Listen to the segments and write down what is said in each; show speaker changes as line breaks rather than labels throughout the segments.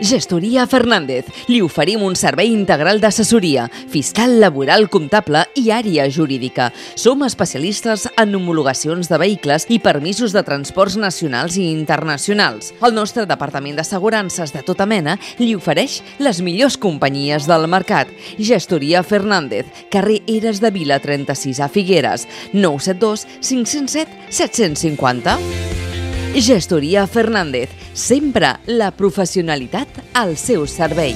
Gestoria Fernández. Li oferim un servei integral d'assessoria, fiscal, laboral, comptable i àrea jurídica. Som especialistes en homologacions de vehicles i permisos de transports nacionals i internacionals. El nostre departament d'assegurances de tota mena li ofereix les millors companyies del mercat. Gestoria Fernández, carrer Eres de Vila 36 a Figueres, 972 507 750. Gestoria Fernández, sempre la professionalitat al seu servei.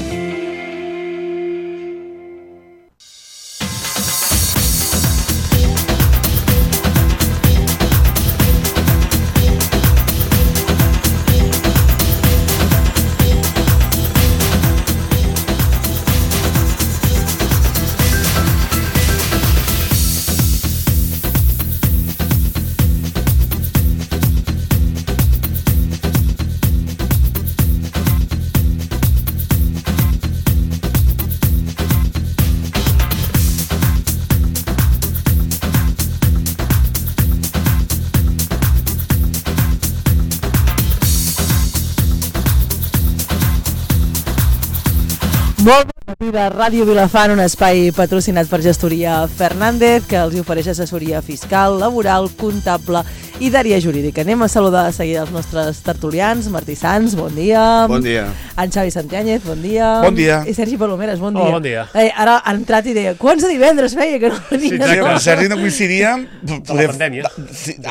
Molt bon matí de Ràdio Vilafant, un espai patrocinat per Gestoria Fernández, que els ofereix assessoria fiscal, laboral, comptable i d'àrea jurídica. Anem a saludar de seguida els nostres tertulians. Martí Sans, bon dia.
Bon dia.
En Xavi Santiáñez, bon dia.
Bon dia.
I Sergi Palomeres, bon dia.
Hola, bon dia.
Ara ha entrat i deia, quants de divendres feia que no venia?
Sí, però Sergi no coincidia...
De la pandèmia.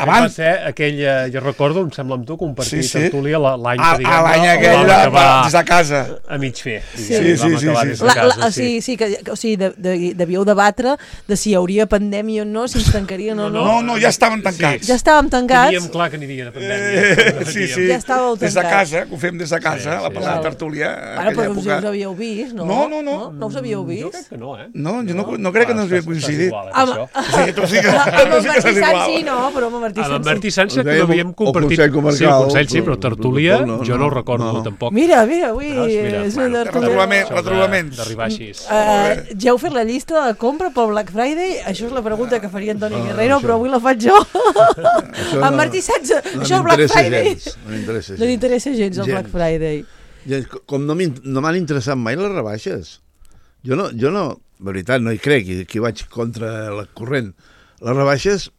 Abans.
Va ser aquell, jo recordo, em sembla amb tu, compartir tertúlia l'any que diguem.
L'any aquell des de casa.
A mig fer.
Sí.
Sí, devíeu debatre de si hi hauria pandèmia o no, si ens tancarien o no.
No, ja estaven tancats.
Ja estàvem tancats.
Teníem clar que aniria de pandèmia.
Sí.
Ja estàveu tancats.
Des de casa, que ho fem des de casa, la tertúlia.
Però us havíeu vist, no?
No.
No us havíeu vist?
Jo crec que no, eh?
No, jo no crec que no ens havia coincidit.
Amb Martí Sans sí, no, però amb Martí Sans sí.
Amb Martí Sans que no havíem compartit.
El Consell
sí, però tertúlia jo no ho recordo tampoc.
Mira, avui és una tertúlia.
Retrobament.
D'arribar així.
Ja heu fet la llista de compra pel Black Friday? Això és la pregunta que faria Antoni Guerrero, però avui la faig jo. En Martí Sans, això el Black Friday. No m'interessa gens el Black Friday.
Com no m'han interessat mai les rebaixes. Jo no, de veritat, no hi crec, i aquí vaig contra la corrent. Les rebaixes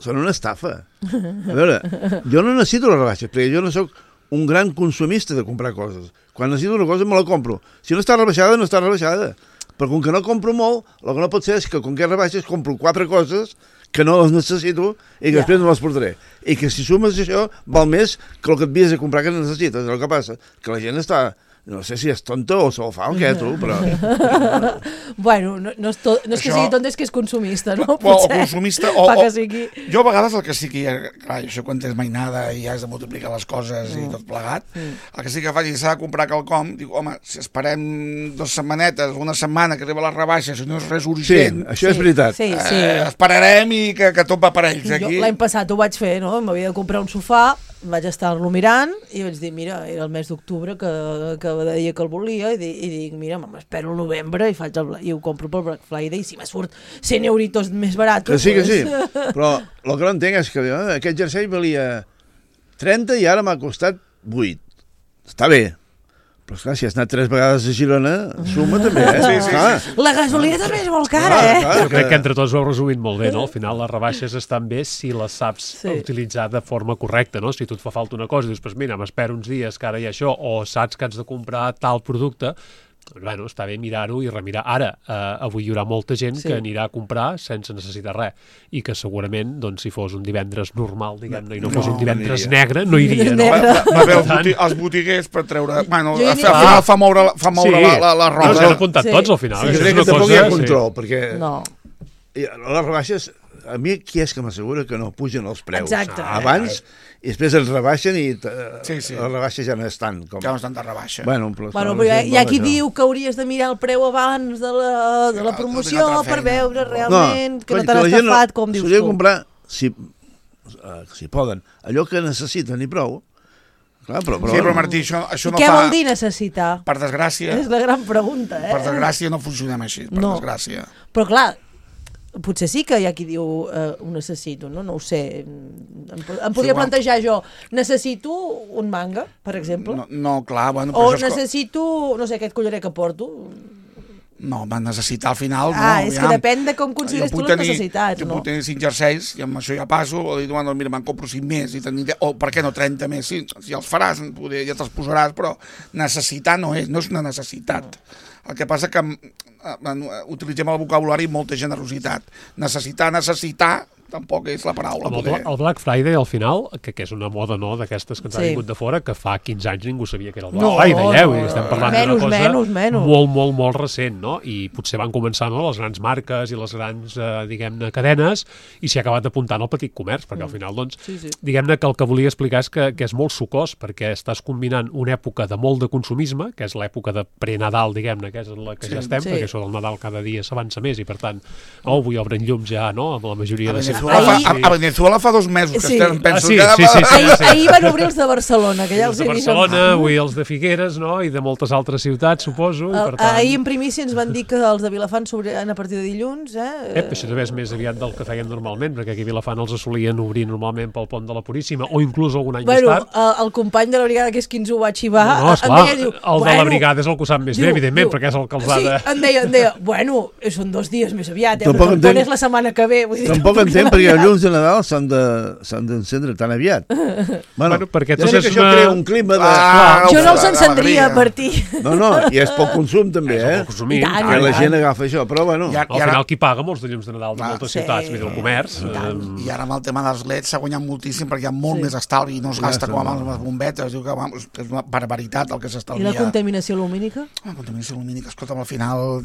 són una estafa. A veure, jo no necessito les rebaixes, perquè jo no sóc un gran consumista de comprar coses. Quan necessito una cosa me la compro. Si no està rebaixada, no està rebaixada. Però com que no compro molt, el que no pot ser és que com que rebaixes compro 4 coses que no les necessito i que després no les portaré. I que si sumes això, val més que el que et vies a comprar que necessites. El que passa que la gent està... No sé si és tonta o se'l fa o què, tu, però...
Bueno, no és que sigui tonta, és que és consumista, no?
O consumista,
que sigui...
Jo a vegades el que sí que... Clar, això quan tens mainada i has de multiplicar les coses i tot plegat, el que sí que faig és s'ha de comprar quelcom, dic, home, si esperem 2 setmanetes, una setmana que arriba la rebaixa, si no és res urgent...
Sí, això és veritat.
Sí.
Esperarem i que tot va per ells, aquí.
Jo l'any passat ho vaig fer, no? M'havia de comprar un sofà, vaig estar-lo mirant i vaig dir, mira, era el mes d'octubre que deia que el volia i dic, mira, m'espero el novembre i ho compro pel Black Friday i si me surt 100 euritos més barat.
Que sí, però el que no entenc és que aquest jersei valia 30 i ara m'ha costat 8. Està bé. Però esclar, si has anat 3 vegades a Girona, suma també,
Sí.
La gasolina també és molt cara,
Jo crec que entre tots ho heu resumit molt bé, no? Al final les rebaixes estan bé si les saps utilitzar de forma correcta, no? Si tu et fa falta una cosa i dius, mira, m'espero uns dies que ara hi ha això, o saps que has de comprar tal producte, bueno, està bé mirar-ho i remirar. Ara, avui hi haurà molta gent que anirà a comprar sense necessitar res i que segurament, doncs, si fos un divendres normal, diguem-ne, i no fos un divendres negre, no iria, no?
Va veure els botiguers per treure... Bueno, al final fa moure la roba.
No, s'han apuntat tots, al final.
Jo crec que tampoc hi ha control, perquè les rebaixes... A mi qui és que m'assegura que no pugen els preus?
Exacte.
Abans, i després els rebaixen i les rebaixes ja no estan.
Ja no estan de rebaixa.
Bueno,
però hi ha qui diu que hauries de mirar el preu abans de la promoció per veure realment que no t'han estafat, com dius tu.
S'hauria de comprar, si poden, allò que necessiten i prou.
Sí, però Martí, això no fa...
Què vol dir necessitar?
Per desgràcia...
És la gran pregunta,
Per desgràcia no funcionem així, per desgràcia.
Però clar, potser sí que hi ha qui diu ho necessito, no? No ho sé. Em podria plantejar jo, necessito un manga, per exemple?
No, clar, bueno...
O necessito, no sé, aquest collaret que porto?
No, va necessitar al final...
És que depèn de com consideres tu les necessitats, no?
Jo puc tenir 5 jerseis i amb això ja passo, o dir, bueno, mira, me'n compro 5 més, o per què no 30 més? Sí, si els faràs, ja te'ls posaràs, però necessitar no és una necessitat. El que passa que utilitzem el vocabulari amb molta generositat. Necessitar, tampoc és la paraula.
El Black Friday, al final, que és una moda d'aquestes que ens ha vingut de fora, que fa 15 anys ningú sabia que era el Black Friday, i estem parlant d'una cosa molt recent, no? I potser van començar les grans marques i les grans, diguem-ne, cadenes, i s'hi ha acabat apuntant al petit comerç, perquè al final, doncs, diguem-ne que el que volia explicar és que és molt sucós, perquè estàs combinant una època de molt de consumisme, que és l'època de pre-Nadal, diguem-ne, que és en la que ja estem, perquè això del Nadal cada dia s'avança més, i per tant, avui obren llums ja, no?, amb la majoria de
A Venezuela fa 2 mesos que estem, penso que...
Ahir van obrir els de Barcelona, que ja els
de Barcelona, avui els de Figueres, no?, i de moltes altres ciutats, suposo.
Ahir en primícia ens van dir que els de Vilafant s'obriran a partir de dilluns,
Això també és més aviat del que feien normalment, perquè aquí a Vilafant els solien obrir normalment pel pont de la Puríssima, o inclús algun any més tard.
El company de la brigada, que és qui ens ho va xivar,
el de la brigada és el que ho sap més bé, evidentment, perquè és el que els ha de...
Sí, em deia, bueno, són 2 dies més aviat, però el pont és la setmana que ve.
Tampoc entenc perquè els llums de Nadal s'han d'encendre tan aviat.
Bueno, perquè
ja sé que això crea un clima de...
Jo no els encendria per ti.
No, i és poc consum també,
que
la gent agafa això, però bueno...
Al final qui paga molts de llums de Nadal de moltes ciutats, el comerç...
I ara amb el tema dels leds s'ha guanyat moltíssim perquè hi ha molt més estalvi i no es gasta com amb les bombetes, diu que és una barbaritat el que s'estalvia.
I la contaminació lumínica?
La contaminació lumínica, escolta'm, al final...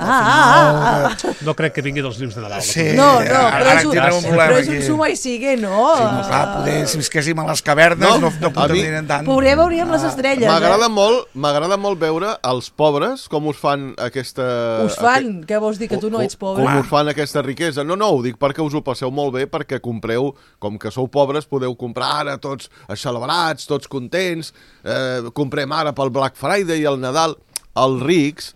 No crec que vingui dels llums de Nadal.
No, però és un suma i sigue, no?
Sí, no, clar, poder, si visquéssim a les cavernes no contaminarem tant.
Poder veuríem les estrelles.
M'agrada molt veure els pobres com us fan aquesta...
Us fan? Què vols dir, que tu no ets pobre?
Com us fan aquesta riquesa? No, ho dic perquè us ho passeu molt bé, perquè compreu, com que sou pobres, podeu comprar ara tots celebrats, tots contents, comprem ara pel Black Friday i el Nadal. Els rics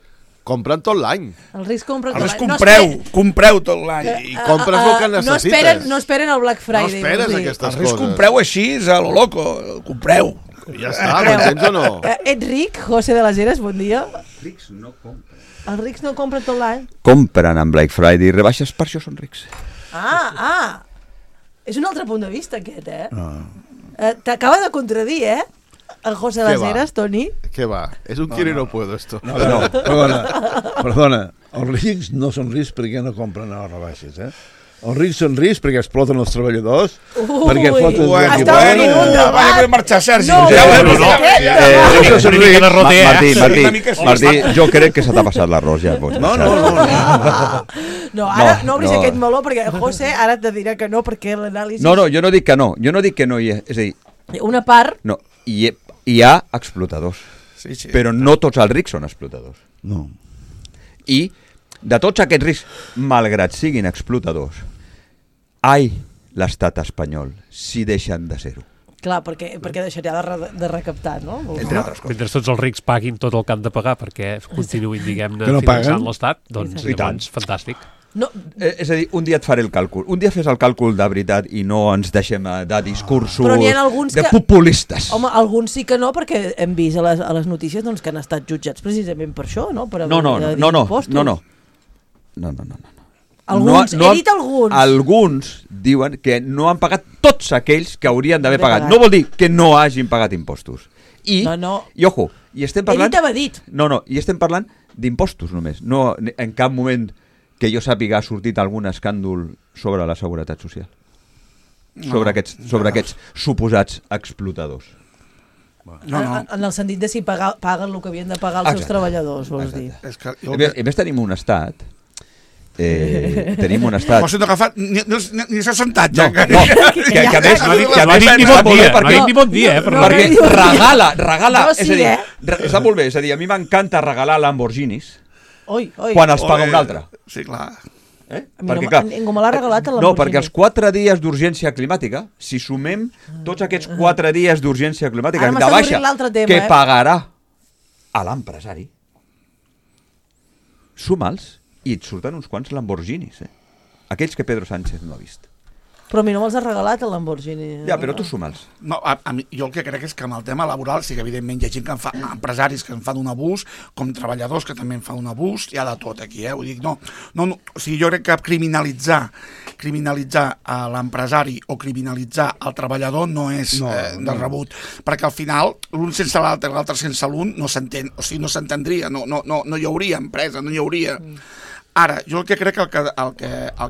compren tot l'any.
Els rics compren tot
l'any. Compreu tot l'any.
I compres el que necessites.
No esperen el Black Friday.
No esperes aquestes coses.
Els rics compreu així, a lo loco. Compreu.
Ja està, m'entens o no?
Ets ric, José de las Heras, bon dia.
Els rics no compren.
Els rics no compren tot l'any?
Compren en Black Friday i rebaixes, per això són rics.
És un altre punt de vista aquest, T'acaba de contradir, el José de las Heras, Toni.
Què va? És un quiero y no puedo, esto.
No, perdona. Els rics no són rics perquè no compren a les rebaixes, Els rics són rics perquè exploten els treballadors, perquè foten...
Vaja, marxar, Sergi.
Martí, jo crec que se t'ha passat l'arròs, ja pots marxar.
No, ara no obris aquest meló, perquè José ara te dirà que no, perquè l'anàlisi...
No, jo no dic que no, és a dir...
Una part...
No, hi ha explotadors, però no tots els rics són explotadors.
No.
I de tots aquests rics, malgrat siguin explotadors, l'estat espanyol, si deixen de ser-ho.
Clar, perquè deixaria de recaptar, no?
Mentre
tots els rics paguin tot el que han de pagar perquè continuïn, diguem-ne, finançant l'estat, doncs llavors, fantàstic.
No. És a dir, un dia et faré el càlcul. Un dia fes el càlcul de veritat i no ens deixem de discursos de populistes.
Home, alguns sí que no, perquè hem vist a les notícies que han estat jutjats precisament per això, no? Per haver d'impostos.
No.
Alguns, he dit alguns.
Alguns diuen que no han pagat tots aquells que haurien d'haver pagat. No vol dir que no hagin pagat impostos. I ojo, i estem parlant...
He dit.
No, i estem parlant d'impostos només. No, en cap moment que jo sàpiga ha sortit algun escàndol sobre la seguretat social. Sobre aquests suposats explotadors.
En el sentit de si paguen el que havien de pagar els seus treballadors, vols dir.
A més tenim un estat... Tenim un estat...
José no ha agafat, ni s'ha sentat ja.
No, que a més no ha dit ni bon dia, perquè regala, és a dir, està molt bé, és a dir, a mi m'encanta regalar Lamborghinis quan els paga un altre.
Sí, clar.
Ningú me l'ha regalat a Lamborghini.
No, perquè els 4 dies d'urgència climàtica, si sumem tots aquests 4 dies d'urgència climàtica de baixa que pagarà a l'empresari, suma'ls i et surten uns quants Lamborghinis, aquells que Pedro Sánchez no ha vist.
Però a mi no me'ls ha regalat el Lamborghini.
Ja, però tu suma'ls.
No, a mi, jo el que crec és que amb el tema laboral sí que evidentment hi ha gent que empresaris que en fan un abús, com treballadors que també en fan un abús, hi ha de tot aquí, Vull dir, no, o sigui, jo crec que criminalitzar a l'empresari o criminalitzar el treballador no és de rebut, perquè al final l'un sense l'altre, l'altre sense l'un no s'entén, o sigui, no s'entendria, no hi hauria empresa, no hi hauria... Ara, jo el que crec que el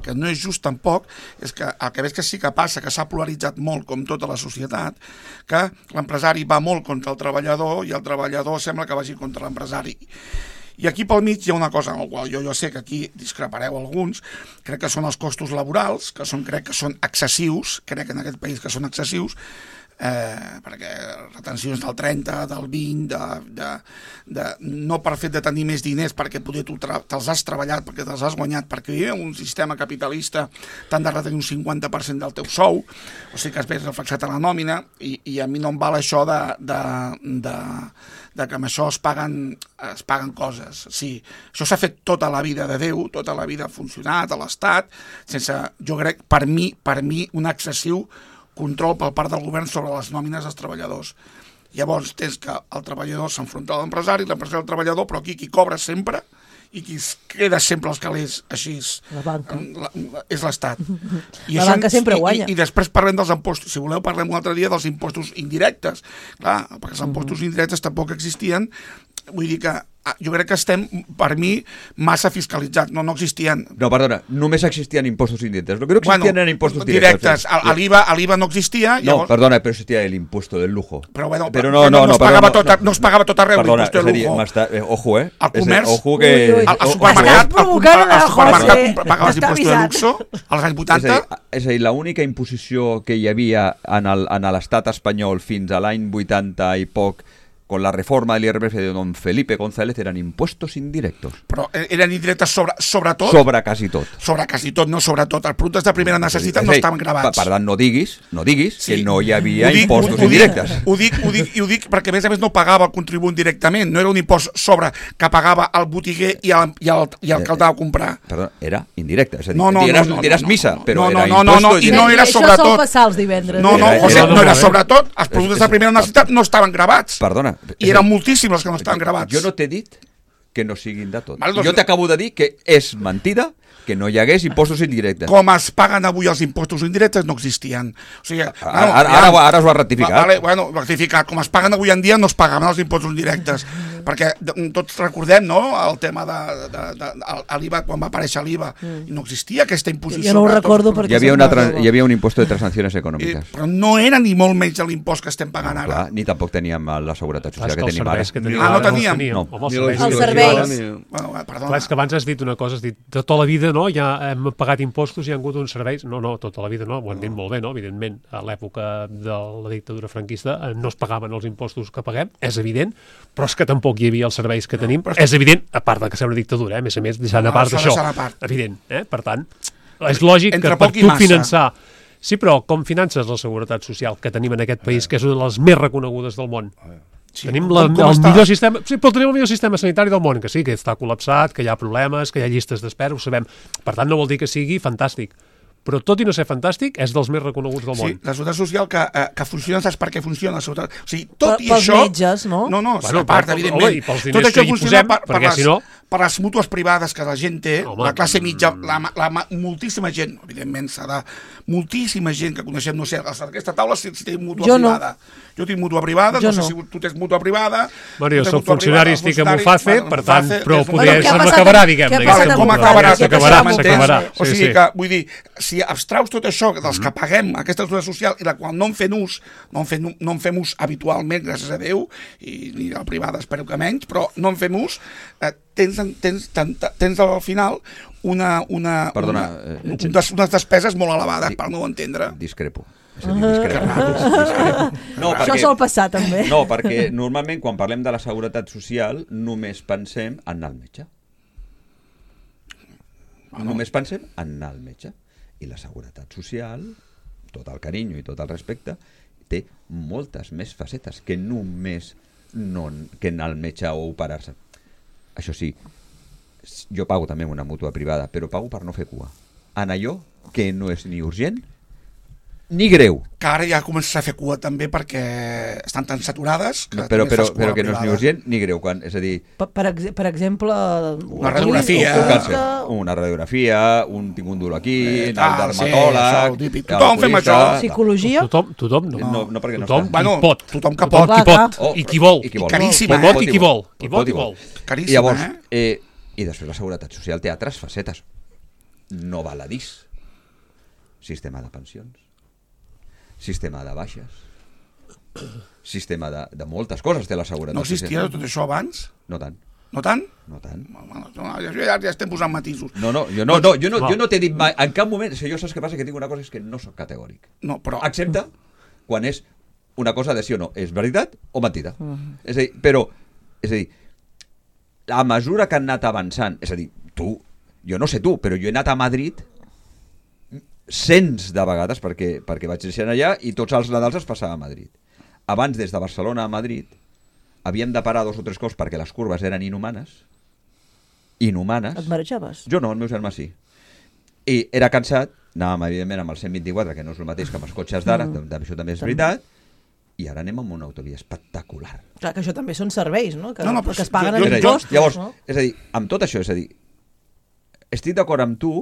que no és just tampoc és que el que veig que sí que passa, que s'ha polaritzat molt com tota la societat, que l'empresari va molt contra el treballador i el treballador sembla que vagi contra l'empresari. I aquí pel mig hi ha una cosa en la qual jo sé que aquí discrepareu alguns, crec que són els costos laborals, crec que són excessius, crec en aquest país que són excessius, perquè retencions del 30, del 20, no per fet de tenir més diners perquè poder tu te'ls has treballat, perquè te'ls has guanyat, perquè hi ha un sistema capitalista t'han de retenir un 50% del teu sou, o sigui que es ve reflexat a la nòmina, i a mi no em val això de que amb això es paguen coses. Sí, això s'ha fet tota la vida de Déu, tota la vida ha funcionat a l'Estat, sense, jo crec, per mi, un excessiu control per part del govern sobre les nòmines dels treballadors. Llavors tens que el treballador s'enfronta a l'empresari, l'empresari al treballador, però aquí qui cobra sempre i qui es queda sempre als calés així
la banca.
És l'Estat.
La banca sempre guanya.
I després parlem dels impostos. Si voleu parlem un altre dia dels impostos indirectes. Clar, perquè els impostos indirectes tampoc existien. Vull dir que jo crec que estem, per mi, massa fiscalitzats. No existien.
No, perdona, només existien impostos indirectes. Lo que no existien eren impostos
directes. L'IVA no existia.
No, perdona, però existia el impuesto del lujo.
Però no es pagava tot arreu l'imposto del lujo.
Ojo,
al comerç,
ojo que...
al supermercat pagaves imposto de luxo als anys 80.
És a dir, l'única imposició que hi havia en l'estat espanyol fins a l'any 80 i poc, con la reforma del IRPF de don Felipe González, eran impuestos indirectos.
Però eren indirectes sobre tot?
Sobre quasi tot.
Sobre quasi tot, no sobre tot. Els productes de primera necessitat no estaven gravats.
Per tant, no diguis que no hi havia impostos indirectes.
Ho dic perquè, a més, no pagava el contribuent directament. No era un impost sobre que pagava el botiguer i el que el dava a comprar.
Perdó, era indirecte. És a dir, diràs missa, però era
imposto indirecte. No era sobre tot.
Això sol passar els divendres.
No era sobre tot. Els productes de primera necessitat no estaven gravats.
Perdona.
I eren moltíssims els que no estaven gravats.
Jo no t'he dit que no siguin de tot. Jo t'acabo de dir que és mentida que no hi hagués impostos indirectes.
Com es paguen avui els impostos indirectes no existien. O sigui,
ara es va rectificar.
Rectificar. Com es paguen avui en dia no es pagaven els impostos indirectes. Perquè tots recordem, no?, el tema de l'IVA, quan va aparèixer l'IVA, no existia aquesta imposició.
Jo no ho recordo perquè...
Hi havia un impost de transaccions econòmiques.
Però no era ni molt menys l'impost que estem pagant ara.
Ni tampoc teníem la seguretat social que tenim ara.
No teníem.
Els serveis.
Clar, és que abans has dit una cosa, has dit, tota la vida, no?, ja hem pagat impostos i hi ha hagut uns serveis. No, tota la vida no, ho hem dit molt bé, no? Evidentment, a l'època de la dictadura franquista no es pagaven els impostos que paguem, és evident, però és que tampoc hi havia els serveis que tenim, és evident, a part de que ser una dictadura, a més, deixant a part d'això, evident, per tant, és lògic que per tu finançar... Sí, però com finances la seguretat social que tenim en aquest país, que és una de les més reconegudes del món? Tenim el millor sistema, sí, però tenim el millor sistema sanitari del món, que sí, que està col·lapsat, que hi ha problemes, que hi ha llistes d'espera, ho sabem. Per tant, no vol dir que sigui fantàstic. Però tot i no ser fantàstic, és dels més reconeguts del món.
Sí, la seguretat social que funciona, saps per què funciona? O sigui, tot i això...
Pels metges, no?
No, a part, evidentment.
I pels diners que hi posem, perquè si no...
Per les mútues privades que la gent té, la classe mitja, moltíssima gent, evidentment s'ha de... Moltíssima gent que coneixem, no sé, a aquesta taula si tenim mútua privada. Jo tinc mútua privada, no sé si tu tens mútua privada...
Bueno, jo soc funcionari, estic amb UFACE, per tant, però poder se m'acabarà, diguem-ne.
Com acabarà?
S'acabarà.
O sigui que, vull dir, si abstraus tot això dels que paguem aquesta seguretat social i la qual no en fem ús, no en fem ús habitualment, gràcies a Déu, i ni la privada espero que menys, però no en fem ús, tens al final unes despeses molt elevades, per no entendre.
Discrepo.
Això sol passar, també.
No, perquè normalment quan parlem de la seguretat social només pensem en anar al metge. Només pensem en anar al metge. I la seguretat social, tot el carinyo i tot el respecte, té moltes més facetes que només que anar al metge o operar-se. Això sí, jo pago també una mútua privada, però pago per no fer cua. en allò que no és ni urgent ni greu.
Que ara ja comences a fer cua també perquè estan tan saturades que
Però
també fas cua
que no és ni
privada.
urgent ni greu. És a dir,
Per exemple...
Una radiografia.
una radiografia, tinc un dolor aquí, anar al
sí,
dermatòleg...
això, típic. Tothom fem això.
Psicologia?
Tothom no.
No, perquè no
Tothom
està.
Bueno,
qui pot.
tothom que
Tothom
pot.
qui
Clar,
pot. I qui vol.
I
caríssima,
Qui pot i qui vol. Qui pot i vol.
Caríssima,
I llavors, i després la Seguretat Social té altres facetes. No baladís. Sistema de pensions. Sistema de baixes. Sistema de moltes coses té la Seguretat
No existia
Social.
tot això abans?
No tant.
No tant?
No tant.
Bueno, ja estem posant matisos.
Jo no t'he dit mai, en cap moment, jo saps què passa? Que tinc una cosa, és que no sóc categòric.
No, però...
Excepte quan és una cosa de sí o no. És veritat o mentida? És a dir, a mesura que han anat avançant, és a dir, jo no sé tu, però jo he anat a Madrid cents de vegades perquè vaig néixer allà i tots els Nadals es passava a Madrid. Abans, des de Barcelona a Madrid, havíem de parar 2 o 3 cops perquè les curves eren inhumanes. Inhumanes.
Et marejaves?
Jo no, el meu germà sí. I era cansat, anàvem evidentment amb el 124, que no és el mateix que amb els cotxes d'ara, això també és veritat, i ara anem amb una autovia espectacular.
Clar, que això també són serveis, no? Que,
No, però
que es paguen
jo-
en
jo-
impostos,
Llavors,
no?
és a dir, amb tot això, és a dir, estic d'acord amb tu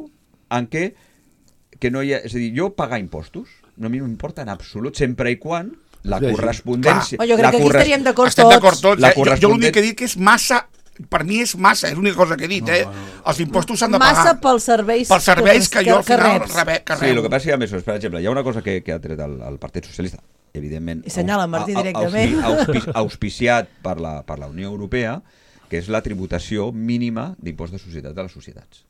en que no hi ha... És a dir, jo pagar impostos no a mi no m'importa en absolut, sempre i quan la
Sí,
correspondència...
Oh, jo crec que aquí estaríem d'acord
Estem d'acord
tots.
tots. Jo l'únic que he dit que és massa... Per mi és massa, és l'única cosa que he dit, Els impostos s'han de pagar.
Massa pels serveis,
Pels serveis que jo al final
reps.
rebo.
Sí, el que passa és que, a més, per exemple, hi ha una cosa que ha tret el Partit Socialista, evidentment...
I senyala Martí directament.
Auspiciat per la Unió Europea, que és la tributació mínima d'impost de societat de les societats.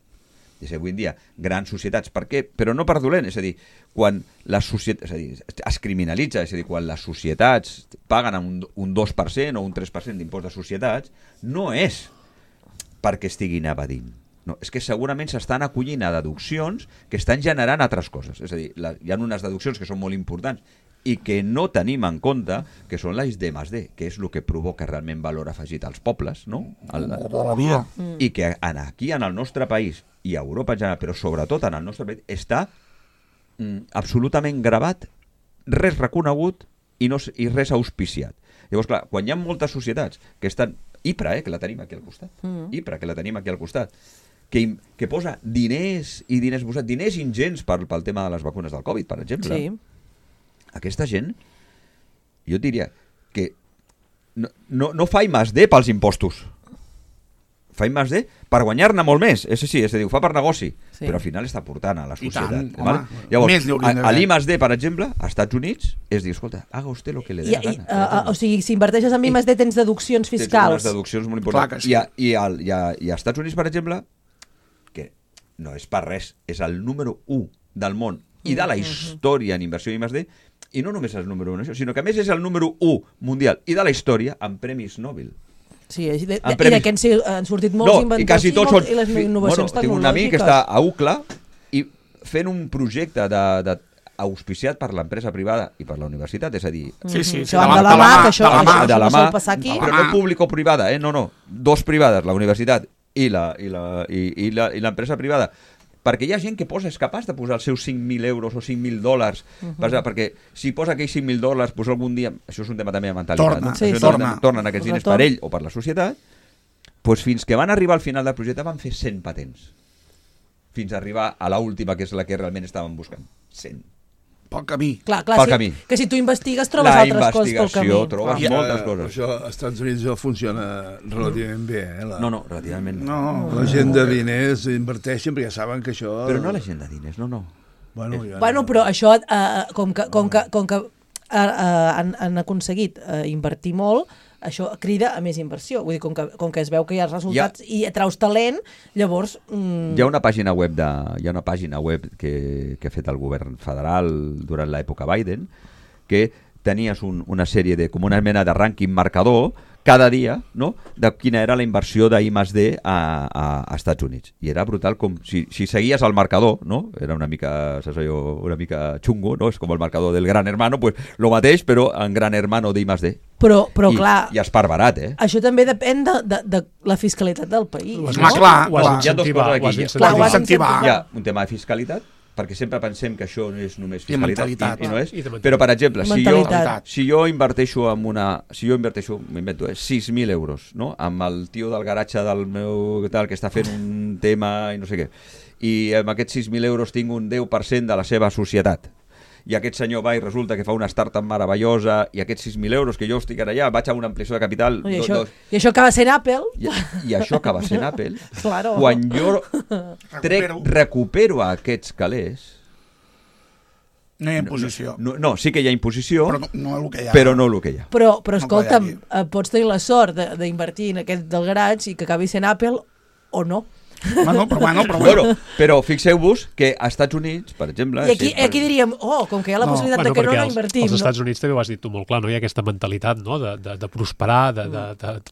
És a dir, avui en dia, grans societats, per què? Però no per dolent, és a dir, quan les societats, és a dir, es criminalitza, és a dir, quan les societats paguen un 2% o un 3% d'impost de societats, no és perquè estiguin evadint. No, és que segurament s'estan acollint a deduccions que estan generant altres coses. És a dir, hi ha unes deduccions que són molt importants i que no tenim en compte, que són les D+D, que és el que provoca realment valor afegit als pobles, no?
Tota la vida.
I que aquí, en el nostre país, i a Europa en general, però sobretot en el nostre país, està absolutament gravat, res reconegut i res auspiciat. Llavors, clar, quan hi ha moltes societats que estan... IPRA, que la tenim aquí al costat. IPRA, que la tenim aquí al costat. Que posa diners i diners ingents pel tema de les vacunes del Covid, per exemple.
Sí.
Aquesta gent, jo diria que no fa I+D pels impostos. Fa I+D per guanyar-ne molt més. És a dir, ho fa per negoci,
Sí.
però al final està portant a la
I
societat.
tant, home. Més
Llavors,
n'hi haurien
a
d'haver.
l'I+D, per exemple, als Estats Units, és dir, escolta, haga usted lo que le dé la gana.
O sigui, si inverteixes en I+D tens deduccions
Tens
fiscals.
unes deduccions molt
Clar
importants.
que sí.
I als Estats Units, per exemple, que no és per res, és el número 1 del món i de la història en inversió I+D, i no només és el número 1 en això, sinó que a més és el número 1 mundial i de la història en premis Nobel.
Sí, i
En premis.
d'aquests han sortit molts
No,
inventors
i quasi tots són...
i les innovacions
Tinc un amic que
tecnològiques.
està a UCLA i fent un projecte auspiciat per l'empresa privada i per la universitat, és a dir...
Sí, sí,
Que van de la mà, que això
de la
no
mà,
sol passar aquí.
però no público-privada, no, dos privades, la universitat i l'empresa privada, perquè hi ha gent que és capaç de posar els seus 5.000 euros o 5.000 dòlars, perquè si posa aquells 5.000 dòlars, doncs algun dia, això és un tema també de mentalitat,
Torna,
no?
sí,
Això
sí.
tornen aquests diners per ell o per la societat, doncs fins que van arribar al final del projecte van fer 100 patents, fins a arribar a l'última, que és la que realment estaven buscant, 100.
Pel camí.
Clar,
Pel
sí,
camí.
que si tu investigues trobes
La
altres coses pel camí.
investigació, trobes
Clar.
moltes coses.
Això als Estats Units ja funciona relativament bé.
No, relativament no.
No.
La gent de diners inverteixen perquè saben que això...
Però no la gent de diners, no.
Bueno, ja
Bueno, però això, com que han aconseguit invertir molt, això crida a més inversió. Vull dir, com que es veu que hi ha resultats i traus talent, llavors...
Hi ha una pàgina web que ha fet el govern federal durant l'època Biden, que tenies una sèrie com una mena de rànquing marcador cada dia, no?, de quina era la inversió d'I+D a Estats Units. I era brutal, com si seguies el marcador, no?, era una mica xungo, no?, és com el marcador del Gran Hermano, pues lo mateix, però en Gran Hermano d'I+D.
Però clar...
I és per barat,
Això també depèn de la fiscalitat del país.
Clar.
Hi ha dues coses aquí.
Ho has d'incentivar.
Hi ha un tema de fiscalitat, perquè sempre pensem que això no és només fiscalitat, i no és.
I de
Però, per exemple,
mentalitat.
si jo inverteixo m'invento 6.000 euros, no?, amb el tio del garatge del meu tal, que està fent un tema i no sé què, i amb aquests 6.000 euros tinc un 10% de la seva societat, i aquest senyor va i resulta que fa una startup meravellosa, i aquests 6.000 euros que jo estic allà, vaig a una ampliació de capital...
I això acaba sent Apple.
I això acaba sent Apple.
Claro.
Quan jo recupero aquests calés...
No hi ha imposició.
No, sí que hi ha imposició,
però no el que hi ha.
Però no el que hi ha.
Però escolta'm, pots tenir la sort d'invertir en aquest del garatge i que acabi sent Apple o no.
Però fixeu-vos que als Estats Units, per exemple...
I aquí diríem, com que hi ha la possibilitat de que no invertim.
Als Estats Units també ho has dit tu molt clar, no? Hi ha aquesta mentalitat, no?, de prosperar, de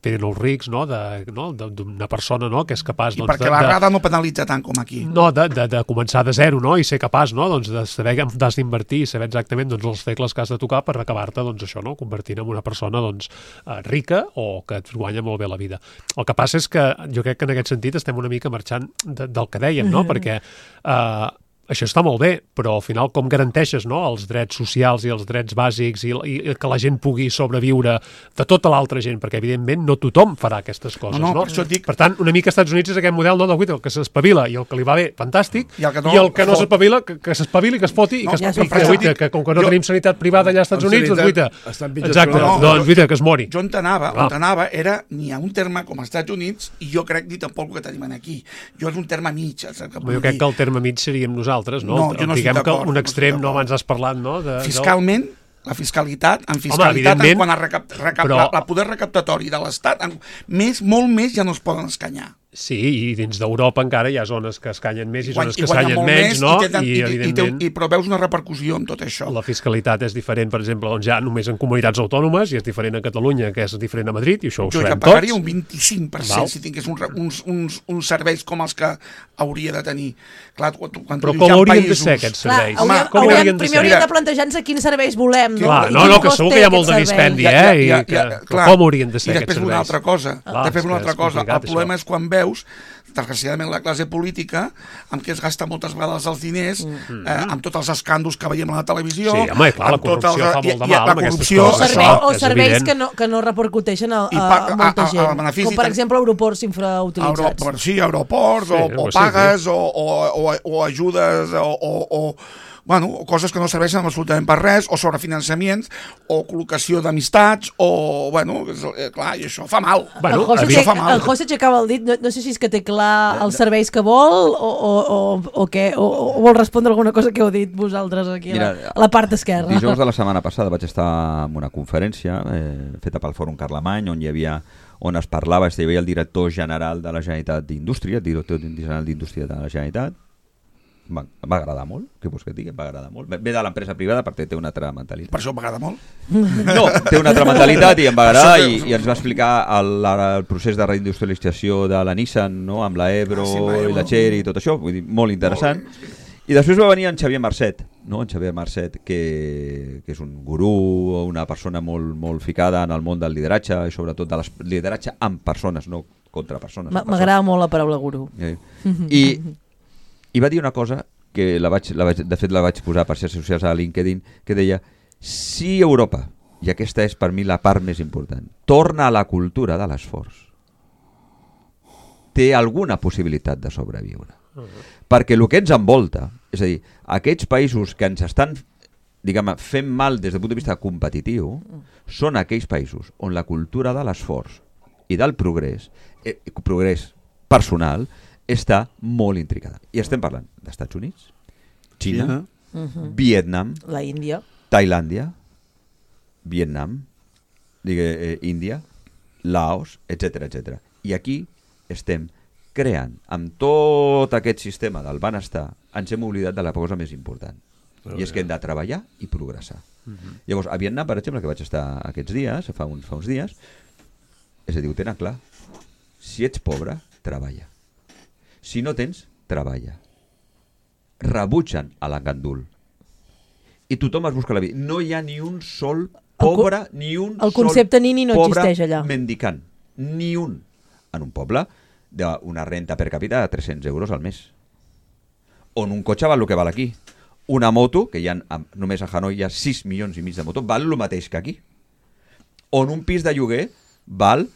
fer els rics, no?, d'una persona, no?, que és capaç...
I perquè la rada no penalitza tant com aquí.
No, de començar de zero, no?, i ser capaç, no?, doncs de saber que has d'invertir i saber exactament els tecles que has de tocar per acabar-te, doncs això, no?, convertint en una persona, doncs, rica o que et guanya molt bé la vida. El que passa és que jo crec que en aquest sentit estem una mica marxant del que dèiem, no? Perquè això està molt bé, però al final com garanteixes, no?, els drets socials i els drets bàsics i que la gent pugui sobreviure de tota l'altra gent, perquè evidentment no tothom farà aquestes coses, no?
Per això et dic...
Per tant, una mica als Estats Units és aquest model, no?, el que s'espavila i el que li va bé, fantàstic, i el que no s'espavila, que s'espavili, que es foti i que com que no tenim sanitat privada allà als Estats Units, doncs guaita. Exacte, doncs guaita, que es mori.
Jo on anava era ni a un terme com als Estats Units i jo crec ni tampoc el que tenim aquí. Jo és un terme mig.
Jo crec que el terme mig seríem nosaltres, no? Diguem que un extrem, no, abans has parlat, no?
Fiscalment, la fiscalitat, en quant a la poder recaptatori de l'Estat, molt més ja no es poden escanyar.
Sí, i dins d'Europa encara hi ha zones que escanyen més i zones que escanyen menys, no?
Però veus una repercussió en tot això.
La fiscalitat és diferent, per exemple, doncs ja només en comunitats autònomes, i és diferent a Catalunya, que és diferent a Madrid, i això ho sabem tots.
Jo que pagaria un 25% si tingués uns serveis com els que hauria de tenir. Clar,
però com haurien de ser aquests serveis?
Primer hauríem de plantejar-nos quins serveis volem.
No, que segur que hi ha molt de dispendi, com haurien de ser aquests serveis?
I després una altra cosa. El problema és quan veus, desgraciadament, la classe política, amb què es gasta moltes vegades els diners, amb tots els escàndols que veiem a la televisió...
Sí, home, clar, la corrupció fa molt de mal amb aquestes coses.
O serveis que no repercuteixen a molta gent, com per exemple aeroports infrautilitzats.
Sí, aeroports, o pagues, o ajudes, o coses que no serveixen absolutament per res, o sobrefinançaments, o col·locació d'amistats, clar, i això fa mal.
El José aixecava el dit, no sé si és que té clar els serveis que vol, o què, o vol respondre alguna cosa que heu dit vosaltres aquí a la part esquerra.
Dijous de la setmana passada vaig estar en una conferència feta pel Fòrum Carlemany, on es parlava, hi havia el director general de la Generalitat d'Indústria, el director general d'Indústria de la Generalitat. Em va agradar molt, què vols que et digui? Em va agradar molt. Ve de l'empresa privada perquè té una altra mentalitat.
Per això m'agrada molt?
No, té una altra mentalitat i em va agradar i ens va explicar el procés de reindustrialització de la Nissan, no? Amb la Ebro i la Chery i tot això, vull dir, molt interessant. I després va venir en Xavier Marcet, no? En Xavier Marcet, que és un gurú, una persona molt ficada en el món del lideratge i sobretot del lideratge amb persones, no contra persones.
M'agrada molt la paraula gurú.
I va dir una cosa que de fet la vaig posar per xarxes socials a LinkedIn, que deia, si Europa, i aquesta és per mi la part més important, torna a la cultura de l'esforç, té alguna possibilitat de sobreviure. Perquè el que ens envolta, és a dir, aquests països que ens estan fent mal des del punt de vista competitiu, són aquells països on la cultura de l'esforç i del progrés personal, està molt intricada. I estem parlant d'Estats Units, Xina, Vietnam,
la Índia,
Tailàndia, Vietnam, Índia, Laos, etc. I aquí estem creant, amb tot aquest sistema del benestar, ens hem oblidat de la cosa més important. I és que hem de treballar i progressar. Llavors, a Vietnam, per exemple, que vaig estar aquests dies, fa uns dies, És a dir, ho tenen clar. Si ets pobre, treballa. Si no tens, treballa. Rebutgen a l'engandul. I tothom es busca la vida. No hi ha ni un sol pobre, ni un
el
sol
concepte nini no
pobre
existeix allà.
mendicant. Ni un. En un poble d'una renta per càpita de 300 euros al mes. On un cotxe val el que val aquí. Una moto, que només a Hanoi hi ha 6 milions i mig de motos, val el mateix que aquí. On un pis de lloguer val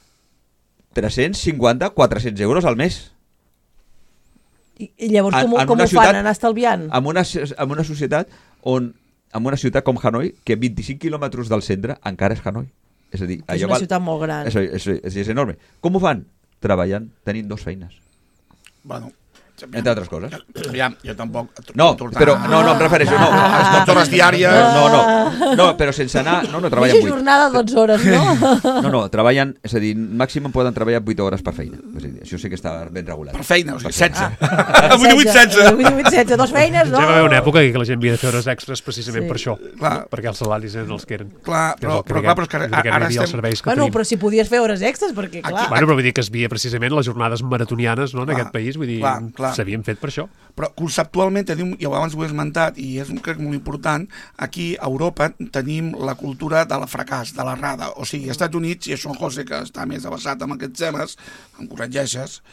350-400 euros al mes.
I llavors com ho fan? Anar estalviant?
En una societat on, en una ciutat com Hanoi, que 25 quilòmetres del centre encara és Hanoi. És a dir,
és una ciutat molt gran.
És enorme. Com ho fan? Treballant, tenint 2 feines.
Bueno,
entre altres coses.
Aviam, jo tampoc...
No, però no, em refereixo. No,
les 12 hores diàries...
No, però sense anar... No, treballen 8.
Mitja jornada, 12 hores, no?
No, treballen... És a dir, màxim poden treballar 8 hores per feina. És a dir, això sí que està ben regulat.
Per feina, o sigui, 16.
8-16. 2 feines, no?
Ja va haver una època que la gent havia de fer hores extres precisament per això.
Clar.
Perquè els salaris eren els que eren.
Clar, però és que ara estem...
Bueno, però si podies fer hores extres, perquè clar...
Bueno, però vull dir que es veia precisament les jornades maratonianes en aquest país, vull dir, s'havien fet per això.
Però conceptualment tenim, i abans ho he esmentat, i és crec molt important, aquí a Europa tenim la cultura de la fracàs, de l'errada. O sigui, als Estats Units, i això en José, que està més avançat amb aquests temes, em corregeixes.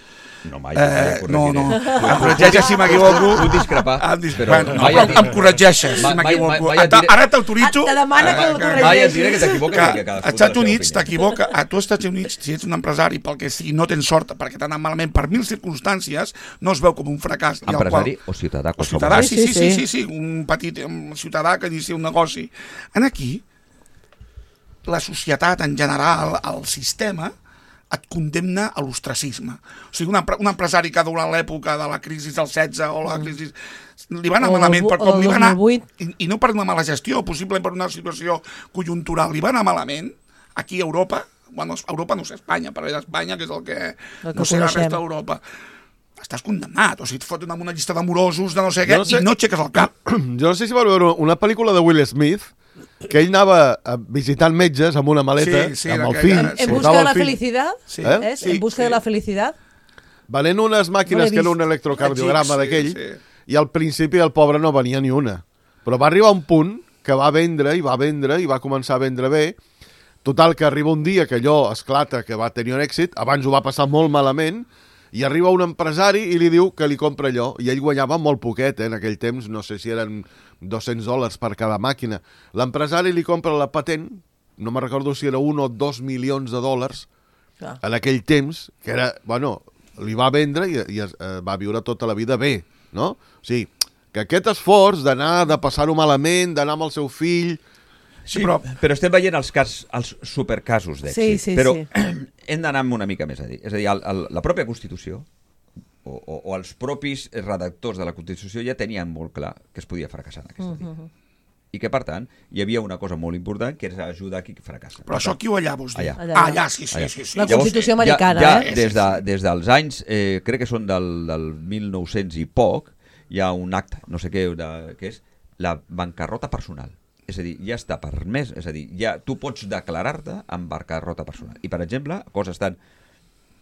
No, mai
no, em corregeixes si m'equivoco.
Vull discrepar.
Em corregeixes si m'equivoco. Ara t'autoritzo.
Te demana que el corregeixis.
Mai et diré que t'equivoques.
Als Estats Units t'equivoca. A tu als Estats Units, si ets un empresari, pel que sigui, no tens sort, perquè t'ha anat malament per 1000 circumstàncies, no es veu com un fracàs.
Empresari o ciutadà?
O ciutadà, sí. Un petit ciutadà que inicia un negoci. Aquí, la societat en general, el sistema, et condemna a l'ostracisme. O sigui, un empresari que durant l'època de la crisi del 16 o la crisi... li va anar malament per com li va anar... I no per una mala gestió, possiblement per una situació conjuntural. Li va anar malament aquí a Europa, bueno, Europa no sé, Espanya, per a Espanya, que és el que no sé la resta d'Europa. Estàs condemnat, o sigui, et foten amb una llista d'amorosos de no sé què i no aixeques el cap.
Jo no sé si vau veure una pel·lícula de Will Smith que ell anava visitant metges amb una maleta, amb el fill.
En busca de la felicitat? En busca de la felicitat?
Venent unes màquines que era un electrocardiograma d'aquell, i al principi el pobre no venia ni una. Però va arribar un punt que va vendre i va començar a vendre bé. Total, que arriba un dia que allò esclata, que va tenir un èxit, abans ho va passar molt malament, i arriba un empresari i li diu que li compra allò, i ell guanyava molt poquet, en aquell temps, no sé si eren $200 per cada màquina. L'empresari li compra la patent, no me recordo si era 1 o 2 milions de dòlars, en aquell temps, que era, bueno, li va vendre i va viure tota la vida bé, no? O sigui, que aquest esforç d'anar, de passar-ho malament, d'anar amb el seu fill...
Sí, però estem veient els supercasos d'èxit. Però hem d'anar una mica més a dir. És a dir, la pròpia Constitució o els propis redactors de la Constitució ja tenien molt clar que es podia fracassar en aquesta vida. I que, per tant, hi havia una cosa molt important, que és ajudar a qui fracassa.
Però això aquí o allà, vols dir?
Allà,
sí.
La Constitució americana,
Des dels anys, crec que són del 1900 i poc, hi ha un acte, no sé què, que és la bancarrota personal. És a dir, ja està permès, és a dir, ja tu pots declarar-te en bancarrota personal. I, per exemple, coses tan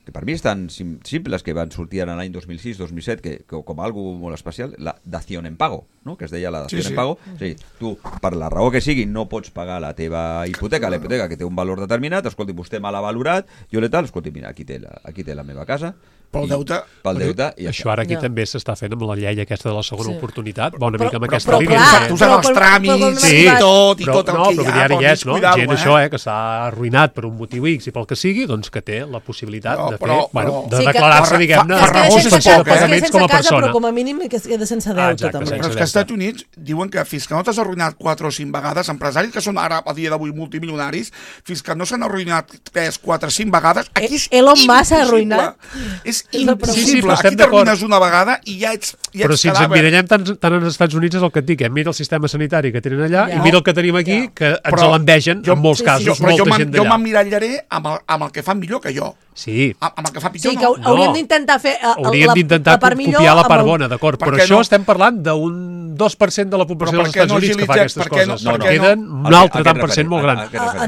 que per mi estan simples, que van sortir en l'any 2006-2007, que com algo molt especial, la dación en pago, no? Que es deia la dación en pago. És a dir, tu, per la raó que sigui, no pots pagar la teva hipoteca, la hipoteca que té un valor determinat, escolti, vostè me l'ha valorat, jo le tal, escolti, mira, aquí té la meva casa,
pel deute.
I
això ara aquí també s'està fent amb la llei aquesta de la segona oportunitat, una mica amb aquesta línia.
Tu saps els tràmits i tot el que hi ha.
No, però ara hi és, no? Gent això, que s'ha arruïnat per un motiu X i pel que sigui, doncs que té la possibilitat de declarar-se, diguem-ne, suspensió de pagaments com a persona.
Però com a mínim que es queda sense deute, també.
Però és que als Estats Units diuen que fins que no t'has arruïnat 4 o 5 vegades, empresaris que són ara, a dia d'avui, multimilionaris, fins que no s'han arruïnat 3, 4, 5 vegades, aquí és
Elon Musk s'ha arruïnat.
És impossible. Aquí t'arruïnes una vegada i ja ets cadàver.
Però si ens emmirallem tant als Estats Units és el que et dic, mira el sistema sanitari que tenen allà i mira el que tenim aquí, que ens l'envegen en molts casos, molta gent d'allà.
Jo m'emmirallaré amb el que fan millor que jo.
Sí,
amb el que fa pitjor,
Sí, que hauríem d'intentar fer
la part millor, copiar la part bona, d'acord, però això estem parlant d'un 2% de la població dels Estats Units que fa aquestes coses. Queden un altre tant per cent molt gran.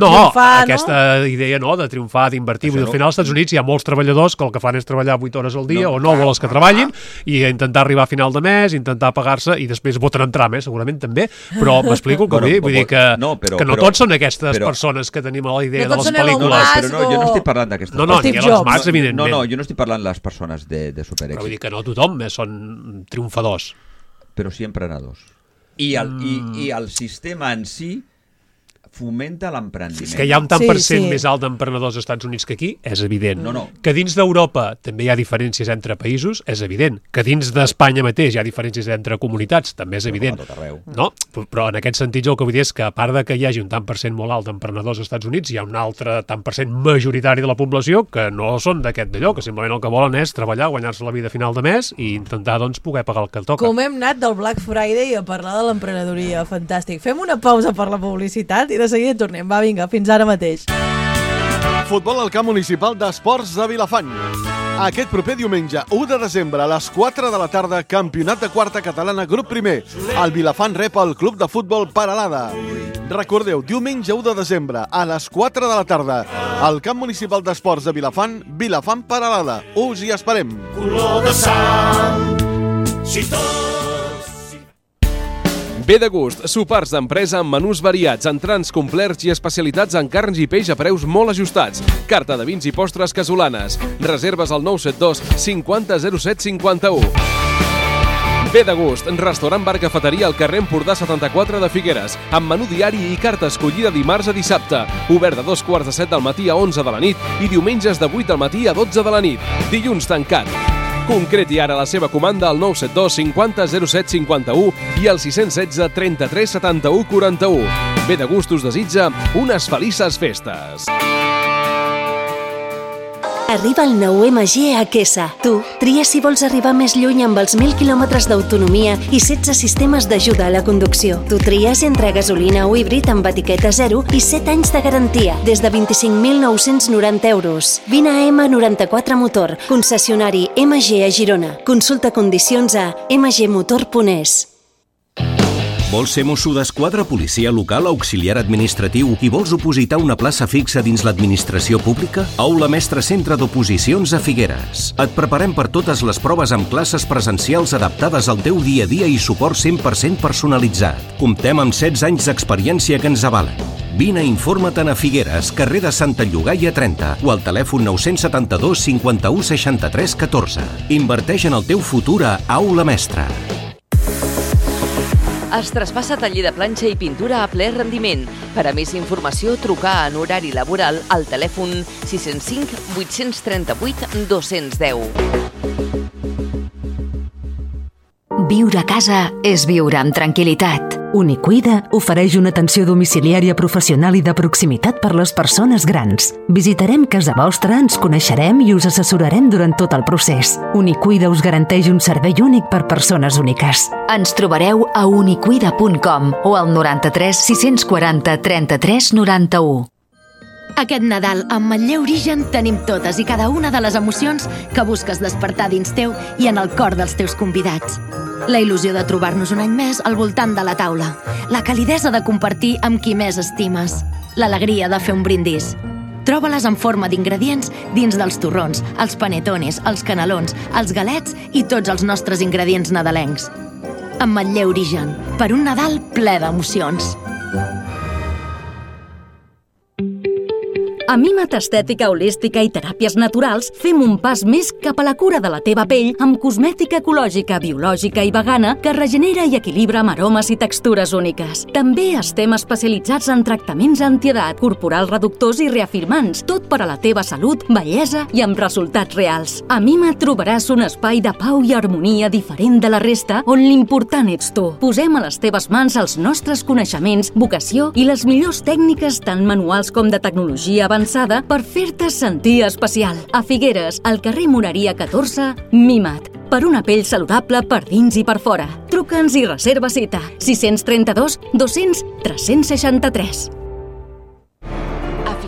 No, aquesta idea de triomfar, d'invertir. Al final als Estats Units hi ha molts treballadors que el que fan és treballar 8 hores al dia o 9 les que treballin i intentar arribar a final de mes, intentar pagar-se i després voten en tram, segurament també, però m'explico que vull dir que no tots són aquestes persones que tenim a la idea de les pel·lícules.
Però no, jo no estic parlant d'aquestes
persones. No, ni Elon Musk, evidentment.
No, jo no estic parlant de les persones de superèxit.
Però vull dir que no tothom són triomfadors.
Però sí emprenedors. I el sistema en si fomenta l'emprendiment.
Que hi ha un tant per cent més alt d'emprenedors als Estats Units que aquí, és evident. Que dins d'Europa també hi ha diferències entre països, és evident. Que dins d'Espanya mateix hi ha diferències entre comunitats, també és evident. No? Però en aquest sentit el que vull dir és que a part de que hi hagi un tant per cent molt alt d'emprenedors als Estats Units, hi ha un altre tant per cent majoritari de la població que no són d'aquest d'allò, que simplement el que volen és treballar, guanyar-se la vida a final de mes i intentar poder pagar el que toca.
Com hem anat del Black Friday a parlar de l'emprenedoria, fantàstic. Fem una pausa per la publicitat i de seguida tornem. Va, vinga, fins ara mateix.
Futbol al camp municipal d'Esports de Vilafant. Aquest proper diumenge, 1 de desembre, a les 4 de la tarda, campionat de quarta catalana, grup primer. El Vilafant rep el club de futbol Peralada. Recordeu, diumenge 1 de desembre, a les 4 de la tarda, al camp municipal d'Esports de Vilafant, Vilafant Peralada. Us hi esperem. Color de sang, si tot...
Ve de gust, sopars d'empresa amb menús variats, entrants complets i especialitats en carns i peix a preus molt ajustats. Carta de vins i postres casolanes. Reserves al 972 50 07 51. Ve de gust, restaurant bar cafeteria al carrer Empordà 74 de Figueres, amb menú diari i carta escollida dimarts a dissabte. Obert de 2:45 del matí a 11 de la nit i diumenges de 8 del matí a 12 de la nit. Dilluns tancat. Concreti ara la seva comanda al 972 50 07 51 i al 616 33 71 41. Ve de gust us desitja unes felices festes.
Arriba el nou MG a Quesa. Tu, tria si vols arribar més lluny amb els 1.000 quilòmetres d'autonomia i 16 sistemes d'ajuda a la conducció. Tu tries entre gasolina o híbrid amb etiqueta 0 i 7 anys de garantia, des de 25.990 euros. Vine a M94 Motor, concessionari MG a Girona. Consulta condicions a mgmotor.es.
Vols ser mosso d'esquadra, policia local, auxiliar administratiu i vols opositar una plaça fixa dins l'administració pública? Aula Mestre Centre d'Oposicions a Figueres. Et preparem per totes les proves amb classes presencials adaptades al teu dia a dia i suport 100% personalitzat. Comptem amb 16 anys d'experiència que ens avalen. Vine i informa-te'n a Figueres, carrer de Santa Llogaia 30 o al telèfon 972 51 63 14. Inverteix en el teu futur a Aula Mestre.
Es traspassa taller de planxa i pintura a ple rendiment. Per a més informació, trucar en horari laboral al telèfon 605 838 210.
Viure a casa és viure amb tranquil·litat. Unicuida ofereix una atenció domiciliària professional i de proximitat per les persones grans. Visitarem casa vostra, ens coneixerem i us assessorarem durant tot el procés. Unicuida us garanteix un servei únic per persones úniques. Ens trobareu a unicuida.com o al 93 640 33 91.
Aquest Nadal, amb Manlleu Origen, tenim totes i cada una de les emocions que busques despertar dins teu i en el cor dels teus convidats. La il·lusió de trobar-nos un any més al voltant de la taula. La calidesa de compartir amb qui més estimes. L'alegria de fer un brindis. Troba-les en forma d'ingredients dins dels torrons, els panetones, els canelons, els galets i tots els nostres ingredients nadalencs. Amb Manlleu Origen, per un Nadal ple d'emocions.
A Mimat Estètica Holística i Teràpies Naturals fem un pas més cap a la cura de la teva pell amb cosmètica ecològica, biològica i vegana que regenera i equilibra amb aromes i textures úniques. També estem especialitzats en tractaments antiedat, corporal reductors i reafirmants, tot per a la teva salut, bellesa i amb resultats reals. A Mimat trobaràs un espai de pau i harmonia diferent de la resta on l'important ets tu. Posem a les teves mans els nostres coneixements, vocació i les millors tècniques tant manuals com de tecnologia avançada per fer-te sentir especial. A Figueres, al carrer Moreria 14, Mimat. Per una pell saludable per dins i per fora. Truca'ns i reserva cita. 632 200 363.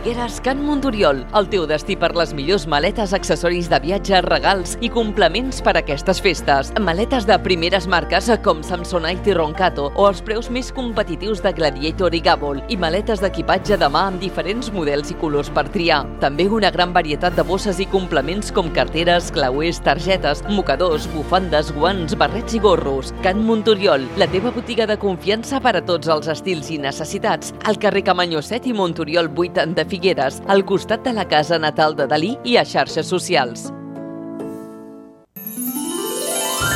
Figueres, Can Montoriol, el teu destí per les millors maletes, accessoris de viatge, regals i complements per a aquestes festes. Maletes de primeres marques com Samsonite i Roncato o els preus més competitius de Gladiator i Gabol i maletes d'equipatge de mà amb diferents models i colors per triar. També una gran varietat de bosses i complements com carteres, clauers, targetes, mocadors, bufandes, guants, barrets i gorros. Can Montoriol, la teva botiga de confiança per a tots els estils i necessitats, al carrer Camanyó 7 i Montoriol 8 de Figueres, al costat de la casa natal de Dalí i a xarxes socials.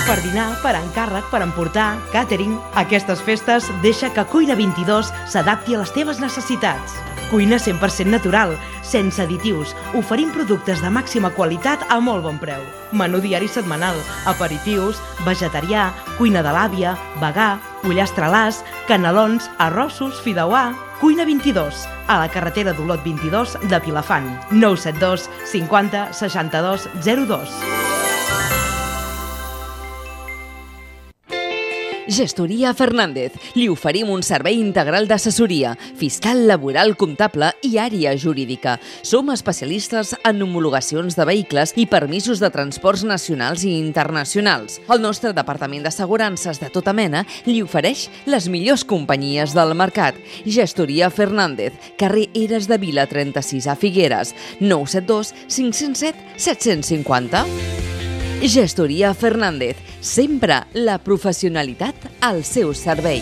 Per dinar, per encàrrec, per emportar, càtering, aquestes festes deixa que Cuina 22 s'adapti a les teves necessitats. Cuina 100% natural, sense additius, oferint productes de màxima qualitat a molt bon preu. Menú diari setmanal, aperitius, vegetarià, cuina de l'àvia, vegà, pollastre-làs, canelons, arrossos, fideuà. Cuina 22, a la carretera d'Olot 22 de Vilafant. 972 50 62 02.
Gestoria Fernández. Li oferim un servei integral d'assessoria, fiscal, laboral, comptable i àrea jurídica. Som especialistes en homologacions de vehicles i permisos de transports nacionals i internacionals. El nostre departament d'assegurances de tota mena li ofereix les millors companyies del mercat. Gestoria Fernández, carrer Eres de Vila 36 a Figueres, 972 507 750. Gestoria Fernández, sempre la professionalitat al seu servei.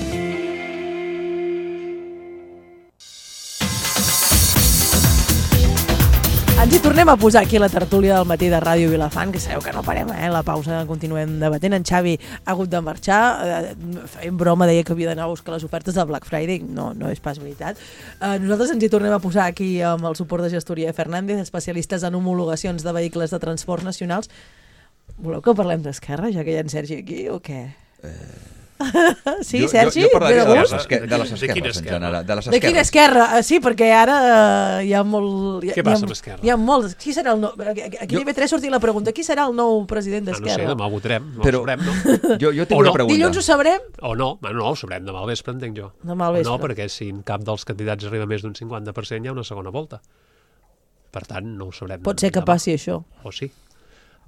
Ens hi tornem a posar aquí a la tertúlia del matí de Ràdio Vilafant, que sabeu que no parem, la pausa continuem debatent. En Xavi ha hagut de marxar, fent broma, deia que havia d'anar a buscar les ofertes del Black Friday, no és pas veritat. Nosaltres ens hi tornem a posar aquí amb el suport de Gestoria Fernández, especialistes en homologacions de vehicles de transport nacionals. Voleu que parlem d'Esquerra, ja que hi ha en Sergi aquí, o què? Sí, Sergi?
Jo parlaria de les esquerres, en general.
De quina esquerra? Sí, perquè ara hi ha molt...
Què passa amb Esquerra?
Hi ha molts. Qui serà el nou... Aquí a IB3 sortia la pregunta, qui serà el nou president d'Esquerra?
No sé, demà ho votarem, ho sabrem, no?
Jo tinc una pregunta.
Dilluns ho sabrem?
O no, no ho sabrem demà al vespre, entenc jo.
Demà al vespre.
No, perquè si en cap dels candidats arriba més d'un 50% hi ha una segona volta. Per tant, no ho sabrem.
Pot ser que passi això.
O sí.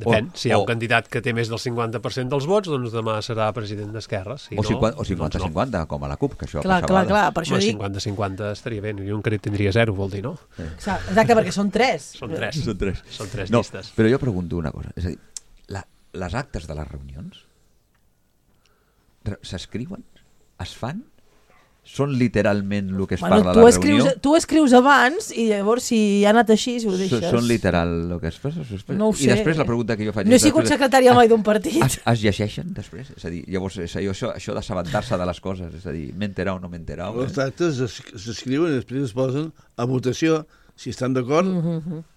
Depèn, si hi ha un candidat que té més del 50% dels vots, doncs demà serà president d'Esquerra. Si
o 50-50, com a la CUP, que això
passava. Clar, per això dic...
50-50 estaria bé, i un que tindria 0, vol dir, no?
Exacte, perquè són 3.
Són 3
no,
llistes.
Però jo pregunto una cosa, és a dir, les actes de les reunions s'escriuen? Es fan? Són literalment el que es parla a la reunió?
Tu escrius abans i llavors si ha anat així, si ho deixes...
Són literal el que es fa?
No ho sé.
I després la pregunta que jo faig...
No he sigut secretària mai d'un partit.
Es llegeixen després? És a dir, llavors això d'assabentar-se de les coses, és a dir, m'he enterat o no m'he enterat.
Els actes s'escriuen i després es posen a votació. Si estan d'acord,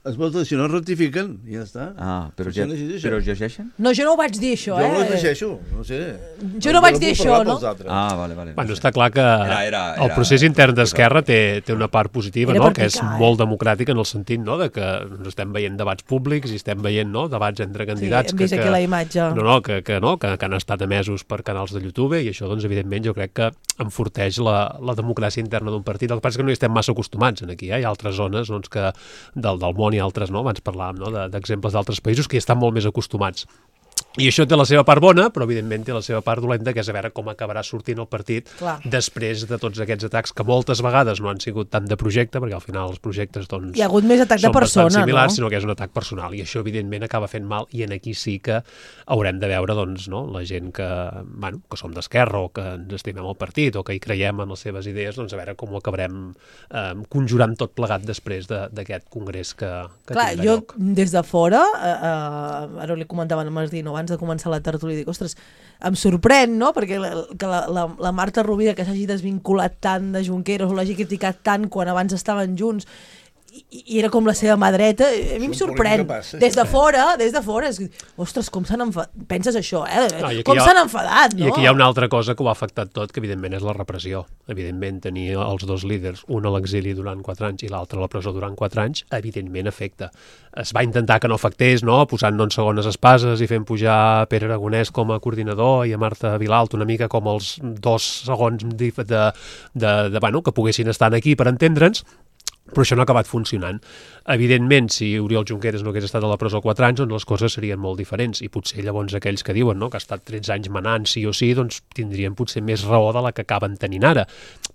es voten, si no ratifiquen, i ja està.
Però es llegeixen?
No, jo no ho vaig dir, això,
Jo no ho llegeixo, no sé.
Jo no vaig dir això, no?
Vale.
Bueno, està clar que el procés intern d'Esquerra té una part positiva, no? Que és molt democràtica en el sentit, no?, de que estem veient debats públics i estem veient, no?, debats entre candidats.
Sí, hem vist aquí la imatge.
Que han estat emesos per canals de YouTube, i això, doncs, evidentment, jo crec que enforteix la democràcia interna d'un partit. El que passa és que no hi estem massa acostumats aquí, hi ha altres zones doncs, que del món i altres, no? Abans parlàvem, no?, d'exemples d'altres països que hi estan molt més acostumats. I això té la seva part bona, però evidentment té la seva part dolenta, que és a veure com acabarà sortint el partit després de tots aquests atacs que moltes vegades no han sigut tant de projecte, perquè al final els projectes doncs,
hi ha hagut més atac de persona,
bastant similars,
no?
Sinó que és un atac personal, i això evidentment acaba fent mal, i en aquí sí que haurem de veure doncs, no, la gent que som d'esquerra o que ens estimem el partit o que hi creiem en les seves idees, doncs a veure com ho acabarem conjurant tot plegat després d'aquest congrés que
tindrà lloc. Jo des de fora, ara li comentaven a Masdino abans de començar la tertúlia, dic, ostres, em sorprèn, no?, perquè que la Marta Rovira que s'hagi desvinculat tant de Junqueras o l'hagi criticat tant quan abans estaven junts i era com la seva mà dreta, a mi em sorprèn. Des de fora, ostres, com s'han enfadat. Penses això, com s'han enfadat, no?
I aquí hi ha una altra cosa que ho ha afectat tot, que evidentment és la repressió. Evidentment, tenir els dos líders, un a l'exili durant 4 anys i l'altre a la presó durant 4 anys, evidentment afecta. Es va intentar que no afectés, no?, posant-no en segones espases i fent pujar Pere Aragonès com a coordinador i a Marta Vilalta una mica com els 2 segons que poguessin estar aquí per entendre'ns. però això no ha acabat funcionant. Evidentment, si Oriol Junqueras no hagués estat a la presó 4 anys, doncs les coses serien molt diferents, i potser llavors aquells que diuen, no?, que ha estat 13 anys manant sí o sí, doncs tindrien potser més raó de la que acaben tenint ara,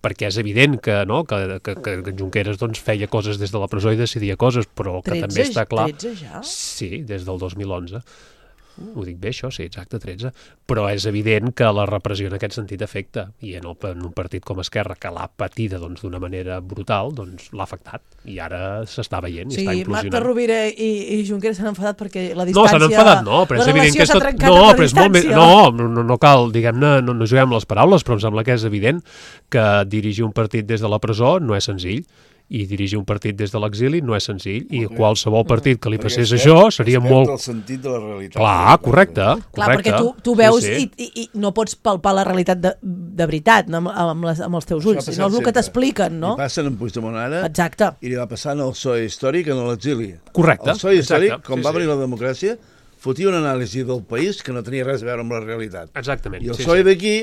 perquè és evident que, no?, que Junqueras doncs, feia coses des de la presó i decidia coses, però que també està clar...
13 ja?
Sí, des del 2011. Ho dic bé, això? Sí, exacte, 13. Però és evident que la repressió en aquest sentit afecta, i en un partit com Esquerra, que l'ha patida d'una manera brutal, doncs l'ha afectat, i ara s'està veient i està implosionant.
Marta Rovira i Junqueras s'han enfadat perquè la distància...
No, s'han enfadat, no, però és evident que és tot... No, però és molt més... No cal, diguem-ne, no juguem les paraules, però em sembla que és evident que dirigir un partit des de la presó no és senzill, i dirigir un partit des de l'exili no és senzill, i qualsevol partit que li passés això seria molt...
el sentit de la realitat.
Clar, correcte.
Clar, perquè tu veus i no pots palpar la realitat de veritat amb els teus ulls, sinó el que t'expliquen, no?
Li passen en Puigdemont ara,
exacte,
i li va passant el PSOE històric en l'exili.
Correcte.
El PSOE històric, com va venir la democràcia, fotia una anàlisi del país que no tenia res a veure amb la realitat.
Exactament.
I el PSOE d'aquí,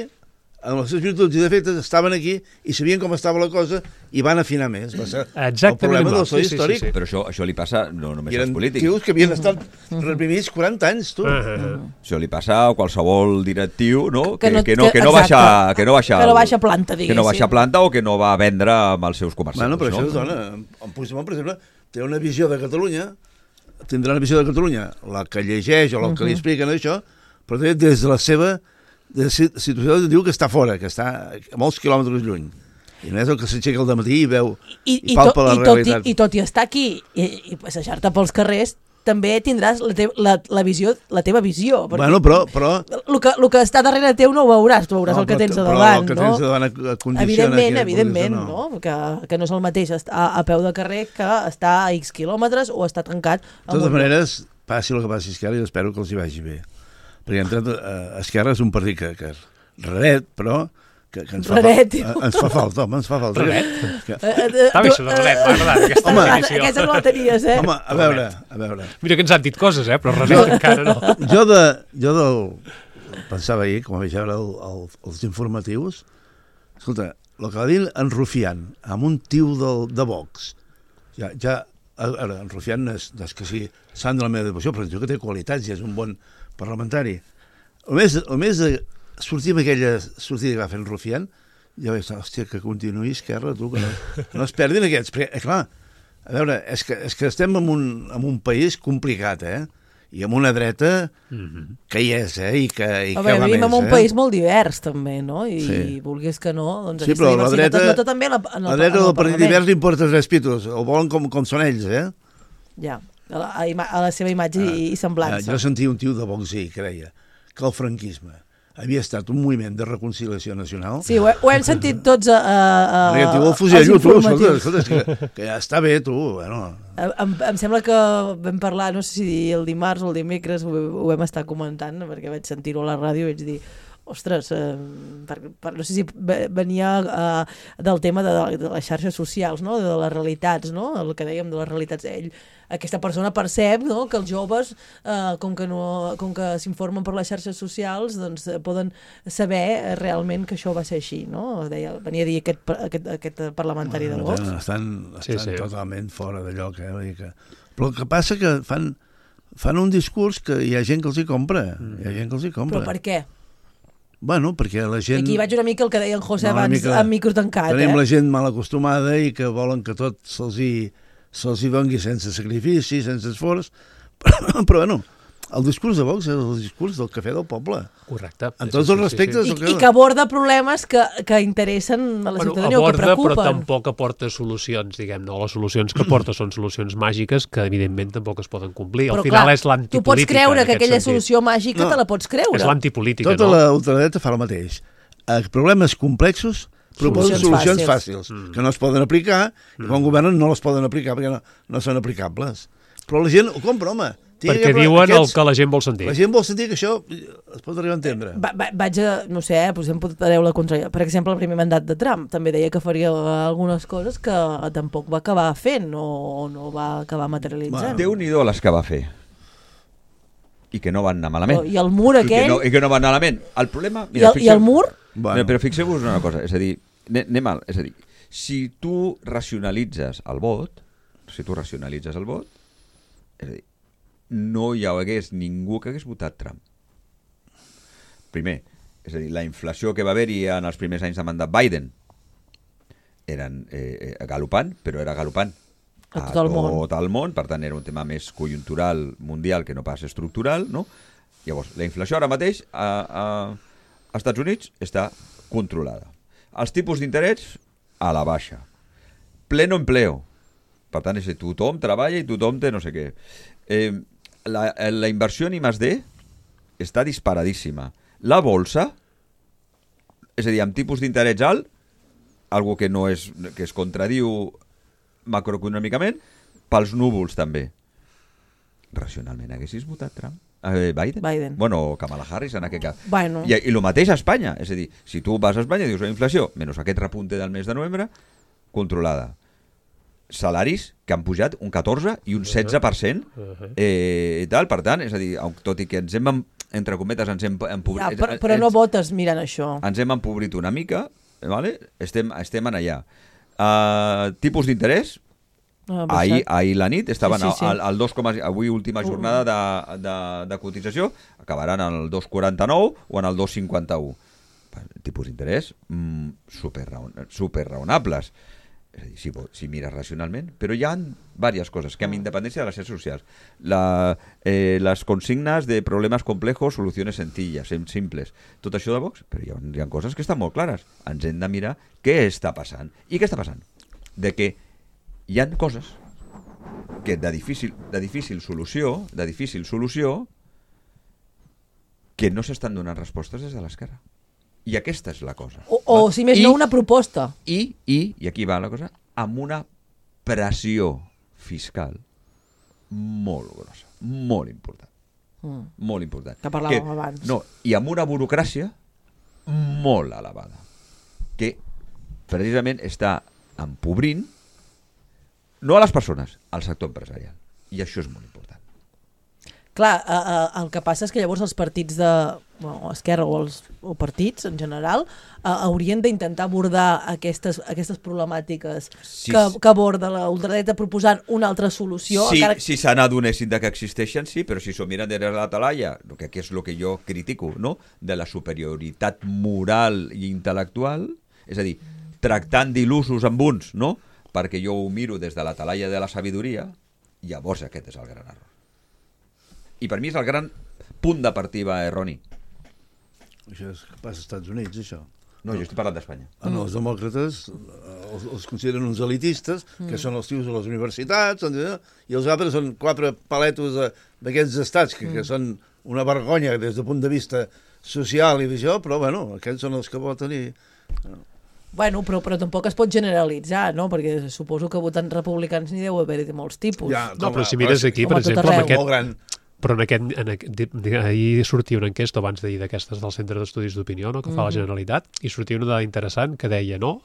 amb els seus virtuts i defectes, estaven aquí i sabien com estava la cosa i van afinar més. Va ser el problema del PSOE històric.
Però això li passa no només als polítics.
Eren tios que havien estat reprimits 40 anys, tu.
Això li passa a qualsevol directiu, no? Que no baixa
planta, diguéssim.
Que no baixa planta o que no va vendre amb els seus comerciants.
Bueno, però això es dona. En Puigdemont, per exemple, té una visió de Catalunya, tindrà una visió de Catalunya, la que llegeix o la que li expliquen això, però també des de la seva situació diu que està fora, que està a molts quilòmetres lluny. I no és el que s'aixeca al dematí i veu i palpa la realitat.
I tot i estar aquí i passejar-te pels carrers, també tindràs la teva visió.
Bueno, però...
El que està darrere teu no ho veuràs, tu veuràs el que tens a davant.
El que tens a davant condiciona...
Evidentment, no? Que no és el mateix estar a peu de carrer que estar a X quilòmetres o estar tancat.
De totes maneres, passi el que passi a Esquerra, i espero que els hi vagi bé. Perquè Esquerra és un partit que raret, però que ens fa falta, home, ens fa falta.
Raret? Està bé això de raret, m'ha agradat aquesta definició.
Aquesta no la tenies, eh?
Home, a veure.
Mira que ens han dit coses, però raret encara no.
Jo pensava ahir, com vaig veure els informatius, escolta, el que va dir en Rufián, amb un tiu de Vox, ara, en Rufián és que sigui sant de la meva devoció, però diu que té qualitats i és un bon parlamentari. El més de sortir amb aquella sortida que va fer en Rufián, ja vaig dir, hòstia, que continuï Esquerra, tu, que no es perdin aquests. Perquè, clar, a veure, és que estem en un país complicat, i amb una dreta que hi és, i que va més.
Vivim en un país molt divers, també, no? I vulguis que no, doncs aquesta diversitat es nota també en el Parlament.
La dreta del partit divers li importa 3 pitos, ho volen com són ells,
Ja, a la seva imatge i semblança.
Jo sentia un tio de Vox i creia que el franquisme havia estat un moviment de reconciliació nacional.
Sí, ho hem sentit tots
als informatius. Escolta, que ja està bé, tu. Bueno.
Em sembla que vam parlar, no sé si el dimarts o el dimecres ho vam estar comentant, perquè vaig sentir-ho a la ràdio i vaig dir, ostres, no sé si venia del tema de les xarxes socials, no? De les realitats, no? El que dèiem de les realitats. Aquesta persona percep, no?, que els joves, com que s'informen per les xarxes socials, doncs poden saber realment que això va ser així, no? Venia a dir aquest parlamentari de Vox.
Estan totalment fora de lloc, Però el que passa que fan un discurs que hi ha gent que els hi compra.
Però per què?
Bueno, perquè la gent...
Aquí vaig una mica el que deia en José abans, amb micro tancat.
Tenim la gent mal acostumada i que volen que tot se'ls hi doni sense sacrifici, sense esforç, però bueno, el discurs de Vox és el discurs del cafè del poble.
Correcte.
En tots els respectes.
I que aborda problemes que interessen a la ciutadania o que preocupen.
Però tampoc aporta solucions, diguem-ne. Les solucions que aporta són solucions màgiques que, evidentment, tampoc es poden complir. Al final és l'antipolítica.
Tu pots creure que aquella solució màgica te la pots creure.
És l'antipolítica, no?
Tota la ultradreta fa el mateix. A problemes complexos proposen solucions fàcils, que no es poden aplicar, i quan governen no les poden aplicar perquè no són aplicables. Però la gent ho compra, home.
Perquè diuen el que la gent vol sentir.
La gent vol sentir que això es pot arribar a entendre.
Vaig a, no sé, em podeu la contra... Per exemple, el primer mandat de Trump també deia que faria algunes coses que tampoc va acabar fent o no va acabar materialitzant.
Déu-n'hi-do les que va fer. I que no van anar malament.
I el mur aquell...
I que no van anar malament. El problema...
I el mur?
Però fixeu-vos una cosa, és a dir, anem mal, és a dir, si tu racionalitzes el vot, és a dir, no hi hagués ningú que hagués votat Trump. Primer, és a dir, la inflació que va haver-hi en els primers anys de mandat Biden eren galopant, però era galopant
a tot
el món, per tant era un tema més conjuntural mundial que no pas estructural, no? Llavors, la inflació ara mateix als Estats Units està controlada. Els tipus d'interès a la baixa. Pleno empleo. Per tant, és a dir, tothom treballa i tothom té no sé què. La inversió en I+D està disparadíssima. La bolsa, és a dir, amb tipus d'interès alt, algo que no és, que es contradiu macroeconòmicament, pels núvols també. Racionalment, haguessis votat Trump? Biden? Bueno, Kamala Harris en aquest cas.
Bueno.
I el mateix a Espanya. És a dir, si tu vas a Espanya i dius la inflació, menys aquest repunte del mes de novembre, controlada. Salaris que han pujat un 14 i un 16% i tal, per tant, és a dir, tot i que ens hem, entre cometes, ens hem empobrit...
Ja, però no votes mirant això.
Ens hem empobrit una mica, vale? Estem en allà. Tipus d'interès, ahir la nit estaven al 2, avui última jornada de cotització, acabaran al 2,49 o en el 2,51. Tipus d'interès super raonables. És a dir, si mires racionalment, però hi ha diverses coses que amb independència de les xarxes socials. Les consignes de problemes complejos, solucions sencilles, simples. Tot això de Vox, però hi ha coses que estan molt clares. Ens hem de mirar què està passant. I què està passant? De que hi ha coses que de difícil solució que no s'estan donant respostes des de l'esquerra. I aquesta és la cosa.
O si més no, una proposta.
I aquí va la cosa, amb una pressió fiscal molt grossa, molt important. Molt important.
Que parlàvem abans.
No, i amb una burocràcia molt elevada, que precisament està empobrint no a les persones, al sector empresarial. I això és molt important.
Clar, el que passa és que llavors els partits de Esquerra o partits en general haurien d'intentar abordar aquestes problemàtiques que aborda la ultradreta proposant una altra solució.
Si se n'adonessin que existeixen, sí, però si s'ho miren des de la talaia, que és el que jo critico, no? De la superioritat moral i intel·lectual, és a dir, tractant d'il·lusos amb uns, no? Perquè jo ho miro des de la talaia de la sabidoria, llavors aquest és el gran error. I per mi és el gran punt de partida erroni.
Això és que passa als Estats Units, això.
No, jo estic parlant d'Espanya.
No, els demòcrates els consideren uns elitistes, que són els tios de les universitats, i els altres són 4 paletos d'aquests estats, que són una vergonya des del punt de vista social i d'això, però bueno, aquests són els que voten i...
Bueno, però tampoc es pot generalitzar, no? Perquè suposo que votant republicans n'hi deu haver de molts tipus.
No, però si mires aquí, per exemple, amb aquest... Però ahir sortia una enquesta abans d'ahir d'aquestes del Centre d'Estudis d'Opinió, no, que fa la Generalitat, i sortia una dada interessant que deia, no,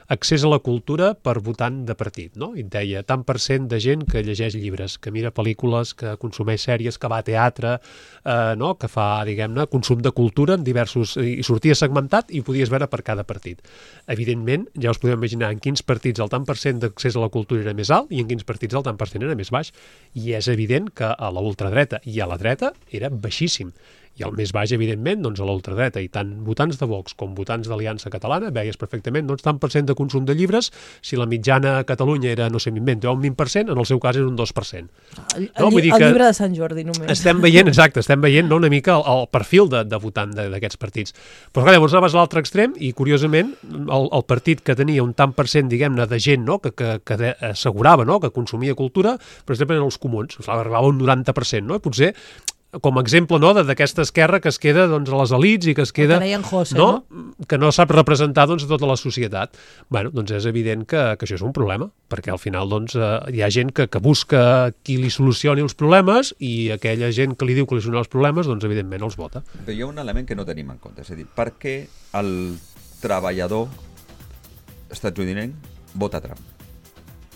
accés a la cultura per votant de partit, no? I et deia tant % de gent que llegeix llibres, que mira pel·lícules, que consumeix sèries, que va a teatre, no? Que fa, diguem-ne, consum de cultura en diversos... I sortia segmentat i ho podies veure per cada partit. Evidentment, ja us podeu imaginar en quins partits el tant % d'accés a la cultura era més alt i en quins partits el tant % era més baix. I és evident que a la ultradreta i a la dreta era baixíssim. I el més baix, evidentment, doncs a la ultradreta. I tant votants de Vox com votants d'Aliança Catalana veies perfectament doncs, tant % de consum de llibres, si la mitjana a Catalunya era, no sé, m'invento, un 20%, en el seu cas era un 2%.
El llibre de Sant Jordi, només.
Estem veient no, una mica el perfil de votant d'aquests partits. Però clar, llavors anaves a l'altre extrem i, curiosament, el partit que tenia un tant %, diguem-ne, de gent no, que assegurava no, que consumia cultura, per exemple, eren els comuns. Arribava un 90%, no? I potser com a exemple no, d'aquesta esquerra que es queda doncs, a les elits i que es queda que no sap representar doncs, tota la societat. Bueno, doncs és evident que això és un problema, perquè al final doncs, hi ha gent que busca qui li solucioni els problemes i aquella gent que li diu que li soluciona els problemes, doncs evidentment els vota.
Però hi ha un element que no tenim en compte, és a dir, per què el treballador estatunidenc vota Trump?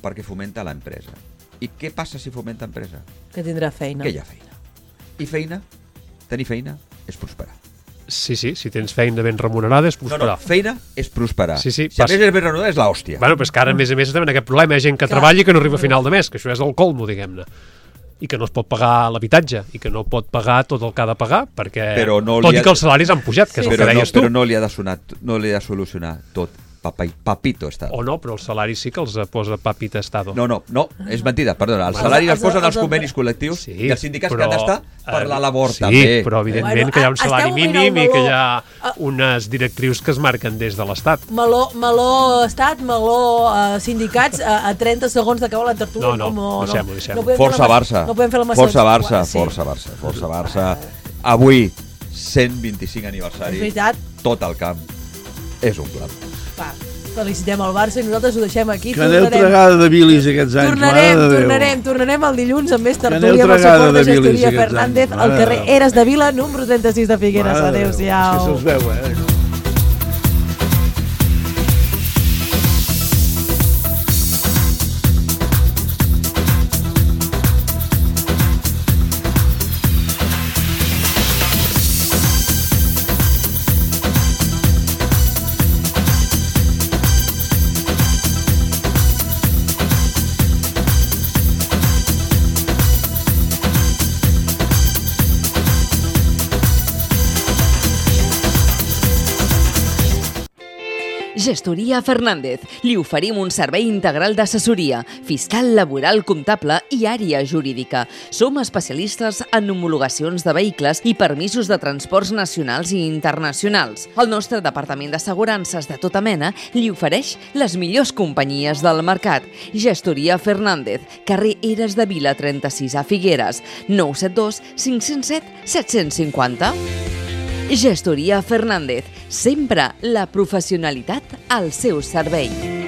Perquè fomenta l'empresa. I què passa si fomenta empresa?
Que tindrà feina.
Que hi ha feina. I feina, tenir feina, és prosperar.
Sí, si tens feina ben remunerada és prosperar.
No, feina és prosperar.
Sí,
si a més és ben remunerada és l'hòstia.
Bueno, però és que ara, a més estem en aquest problema. Hi ha gent que treballa i que no arriba a final de mes, que això és el colmo, diguem-ne. I que no es pot pagar l'habitatge, i que no pot pagar tot el que ha de pagar, perquè tot i que els salaris han pujat, que és el que deies tu.
Però no li ha de solucionar tot. Papito Estado.
O no, però el salari sí que els posa Papita Estado.
No, és mentida, perdona. El salari els posen els convenis col·lectius i els sindicats que han d'estar per la labor, també.
Sí, però evidentment que hi ha un salari mínim i que hi ha unes directrius que es marquen des de l'Estat.
Meló Estat, meló sindicats, a 30 segons d'acabar la tertúlia.
No, deixem-ho.
Força Barça.
No podem fer la
Força Barça. Avui, 125 aniversari, tot el camp és un clam.
Felicitem el Barça i nosaltres ho deixem aquí.
Que aneu tregada de bilis aquests anys.
Tornarem el dilluns amb més tertúlia amb el suport de Gestoria Fernández al carrer Eres de Vila, número 36 de Figueres. Adéu-siau.
És que se'ls veu,
Gestoria Fernández. Li oferim un servei integral d'assessoria, fiscal, laboral, comptable i àrea jurídica. Som especialistes en homologacions de vehicles i permisos de transports nacionals i internacionals. El nostre departament d'assegurances de tota mena li ofereix les millors companyies del mercat. Gestoria Fernández, carrer Eres de Vila 36 a Figueres, 972 507 750. Gestoria Fernández, sempre la professionalitat al seu servei.